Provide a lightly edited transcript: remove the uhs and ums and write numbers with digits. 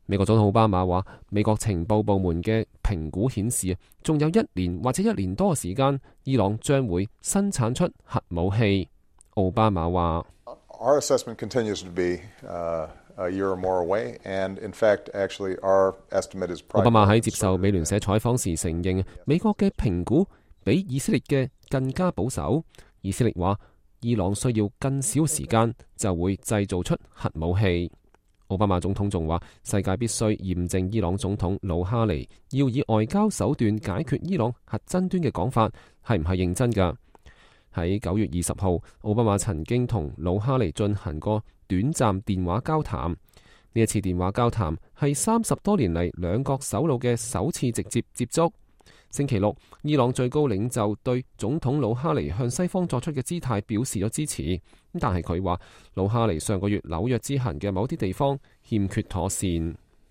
美國總統奧巴馬話，美國情報部門嘅評估顯示，仲有1年或者1年多嘅時間，伊朗將會生產出核武器。奧巴馬話：Our assessment continues to be a year or more away, and in fact, actually, our estimate is probably. 奧巴馬喺接受美聯社採訪時承認，美國嘅評估比以色列嘅更加保守。以色列話，伊朗需要更少時間就會製造出核武器。奧巴馬總統仲話，世界必須驗證伊朗總統魯哈尼要以外交手段解決伊朗核爭端嘅講法係唔係認真㗎。喺9月20號，奧巴馬曾經同魯哈尼進行過短暫電話交談。呢一次電話交談係30多年嚟兩國首腦嘅首次直接接觸。星期六，伊朗最高領袖對總統魯哈尼向西方作出嘅姿態表示咗支持，但係佢話魯哈尼上個月紐約之行嘅某啲地方欠缺妥善。